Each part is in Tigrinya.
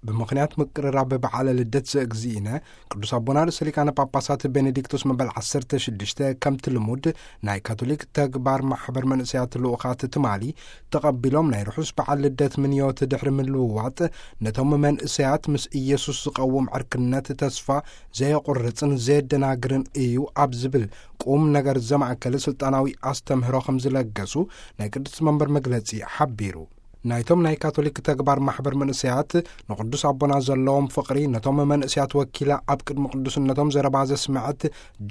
ብምኽንያት ምቅርራብ በዓለ ልደት ዘእግዚእነ፣ ቅዱስ ኣቦና ርእሰ ሊቃነ ጳጳሳት ቤኔዲክቶስ መበል ዓሰርተ ሽዱሽተ፣ ከምቲ ልሙድ፣ ናይ ካቶሊክ ተግባር ማሕበር መንእሰያት ልኡኻት ትማሊ ተቐቢሎም፣ ናይ ርሑስ በዓል ልደት ምንዮት ድሕሪ ምልውዋጥ፣ ነቶም መንእሰያት ምስ ኢየሱስ ዝቐውም ዕርክነት ተስፋ ዘየቑርጽን ዘየደናግርን እዩ ኣብ ዝብል ቁም ነገር ዘማእከለ ስልጣናዊ ኣስተምህሮ ከም ዝለገሱ ናይ ቅድስቲ መንበር መግለጺ ሓቢሩ። ናይቶም ናይ ካቶሊክ ተግባር ማሕበር መንእሰያት ንቅዱስ ኣቦና ዘለዎም ፍቕሪ፣ ነቶም መንእሰያት ወኪላ ኣብ ቅድሚ ቅዱስነቶም ዘረባ ዘስመዐት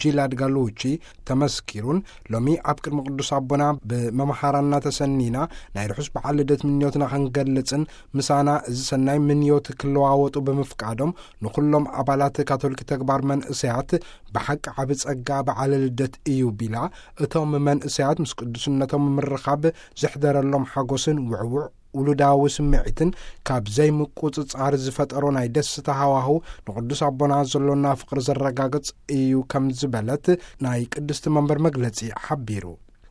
ጂላድ ጋሉቺ ተመስኪሩን፣ ሎሚ ኣብ ቅድሚ ቅዱስ ኣቦና ብመምሃራና ተሰኒና ናይ ርሑስ በዓል ልደት ምንዮትና ክንገልጽን፣ ምሳና እዚ ሰናይ ምንዮት ክለዋወጡ ብምፍቃዶም፣ ንኹሎም ኣባላት ካቶሊክ ተግባር መንእሰያት ብሓቂ ዓቢ ጸጋ በዓለ ልደት እዩ ቢላ፣ እቶም መንእሰያት ምስ ቅዱስነቶም ምርኻብ ዘሕደረሎም ሓጎስን ውዕዉዕ ውሉዳዊ ስምዒትን ካብ ዘይምቁጽጻር ዝፈጠሮ ናይ ደስታ ሃዋህው ንቅዱስ ኣቦና ዘሎና ፍቕሪ ዘረጋግጽ እዩ ከም ዝበለት ናይ ቅድስቲ መንበር መግለጺ ሓቢሩ።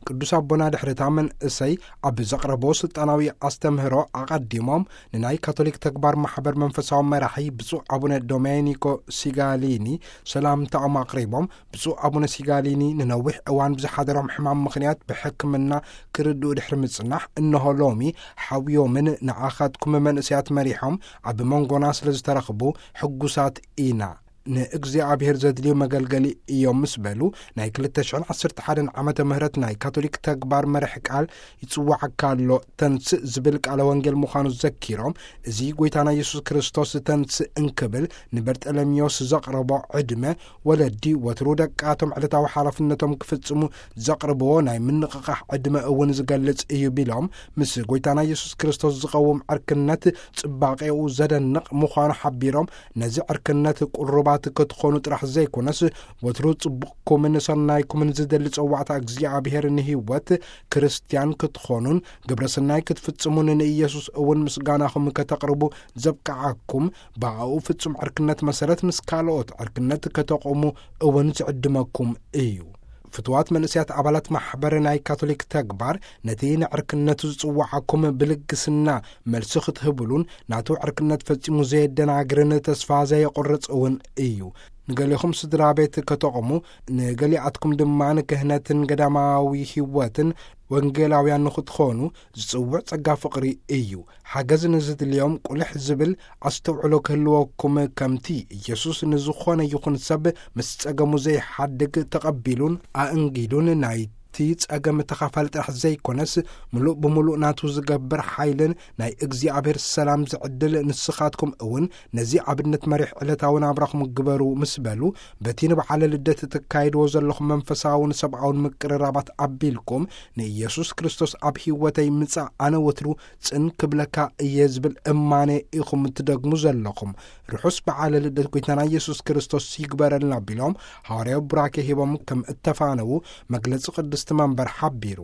ቅዱስ ኣቦና ድሕሪ እታ መንእሰይ ኣብ ዘቕረቦ ስልጣናዊ ኣስተምህሮ ኣቐዲሞም ንናይ ካቶሊክ ተግባር ማሕበር መንፈሳዊ መራሒ ብፁዕ ኣቡነ ዶሜኒኮ ሲጋሊኒ ሰላምታኦም ኣቕሪቦም፣ ብፁዕ ኣቡነ ሲጋሊኒ ንነዊሕ እዋን ብዝሓደሮም ሕማም ምኽንያት ብሕክምና ክርድኡ ድሕሪ ምጽናሕ፣ እንሆ ሎሚ ሓውዮምን ንዓኻትኩም መንእሰያት መሪሖም ኣብ መንጎና ስለ ዝተረኽቡ ሕጉሳት ኢና። ንእግዚኣብሔር ዘድልዩ መገልገሊ እዮም ምስ በሉ፣ ናይ ክልተ ሽሕን ዓሰርተ ሓደን ዓመተ ምህረት ናይ ካቶሊክ ተግባር መርሕ ቃል ይጽዋዓካ ኣሎ ተንስእ ዝብል ቃለ ወንጌል ምዃኑ ዘኪሮም፣ እዚ ጎይታና የሱስ ክርስቶስ ተንስእ እንክብል ንበርጠለሚዮስ ዘቕረቦ ዕድመ፣ ወለዲ ወትሩ ደቃቶም ዕለታዊ ሓላፍነቶም ክፍጽሙ ዘቕርብዎ ናይ ምንቕቓሕ ዕድመ እውን ዝገልጽ እዩ ቢሎም፣ ምስ ጎይታና የሱስ ክርስቶስ ዝቐውም ዕርክነት ጽባቄኡ ዘደንቕ ምዃኑ ሓቢሮም፣ ነዚ ዕርክነት ቅሩባት ክትኾኑ ጥራሕ ዘይኮነስ፣ ወትሩ ጽቡቕኩምን ሰናይኩምን ዝደሊ ጸዋዕታ እግዚኣብሔር ንህይወት ክርስትያን ክትኾኑን ግብረ ሰናይ ክትፍጽሙን ንኢየሱስ እውን ምስጋናኹም ከተቕርቡ ዘብቅዓኩም፣ ብኣኡ ፍጹም ዕርክነት መሰረት ምስ ካልኦት ዕርክነት ከተቑሙ እውን ዝዕድመኩም እዩ። ፍትዋት መንእሰያት ኣባላት ማሕበር ናይ ካቶሊክ ተግባር፣ ነቲ ንዕርክነቱ ዝጽውዓኩም ብልግስና መልሲ ክትህብሉን፣ ናቱ ዕርክነት ፈጺሙ ዘየደናግርን ተስፋ ዘየቑርጽ እውን እዩ። ንገሌኹም ስድራ ቤት ከተቑሙ፣ ንገሊኣትኩም ድማ ንክህነትን ገዳማዊ ህይወትን ወንጌላውያን ንኽትኾኑ ዝጽውዕ ጸጋ ፍቕሪ እዩ። ሓገዝ ንዝድልዮም ቁልሕ ዝብል ኣስተውዕሎ ክህልወኩም፣ ከምቲ ኢየሱስ ንዝኾነ ይኹን ሰብ ምስ ጸገሙ ዘይሓድግ ተቐቢሉን ኣእንጊዱን፣ ናይቲ ጸገም ተኻፋሊ ጥራሕ ዘይኮነስ፣ ምሉእ ብምሉእ ናቱ ዝገብር ሓይልን ናይ እግዚኣብሔር ሰላም ዝዕድል፣ ንስኻትኩም እውን ነዚ ኣብነት መሪሕ ዕለታዊ ናብራኹም ግበሩ ምስ በሉ፣ በቲ ንበዓለ ልደት እተካይድዎ ዘለኹም መንፈሳውን ሰብኣውን ምቅርራባት ኣቢልኩም፣ ንኢየሱስ ክርስቶስ ኣብ ህይወተይ ምጻእ ኣነ ወትሩ ጽን ክብለካ እየ ዝብል እማኔ ኢኹም እትደግሙ ዘለኹም። ርሑስ በዓለ ልደት ጎይታና ኢየሱስ ክርስቶስ ይግበረልና ቢሎም፣ ሃዋርያዊ ቡራኬ ሂቦም ከም እተፋነዉ መግለጺ ቅድስቲ መንበር ሓቢሩ።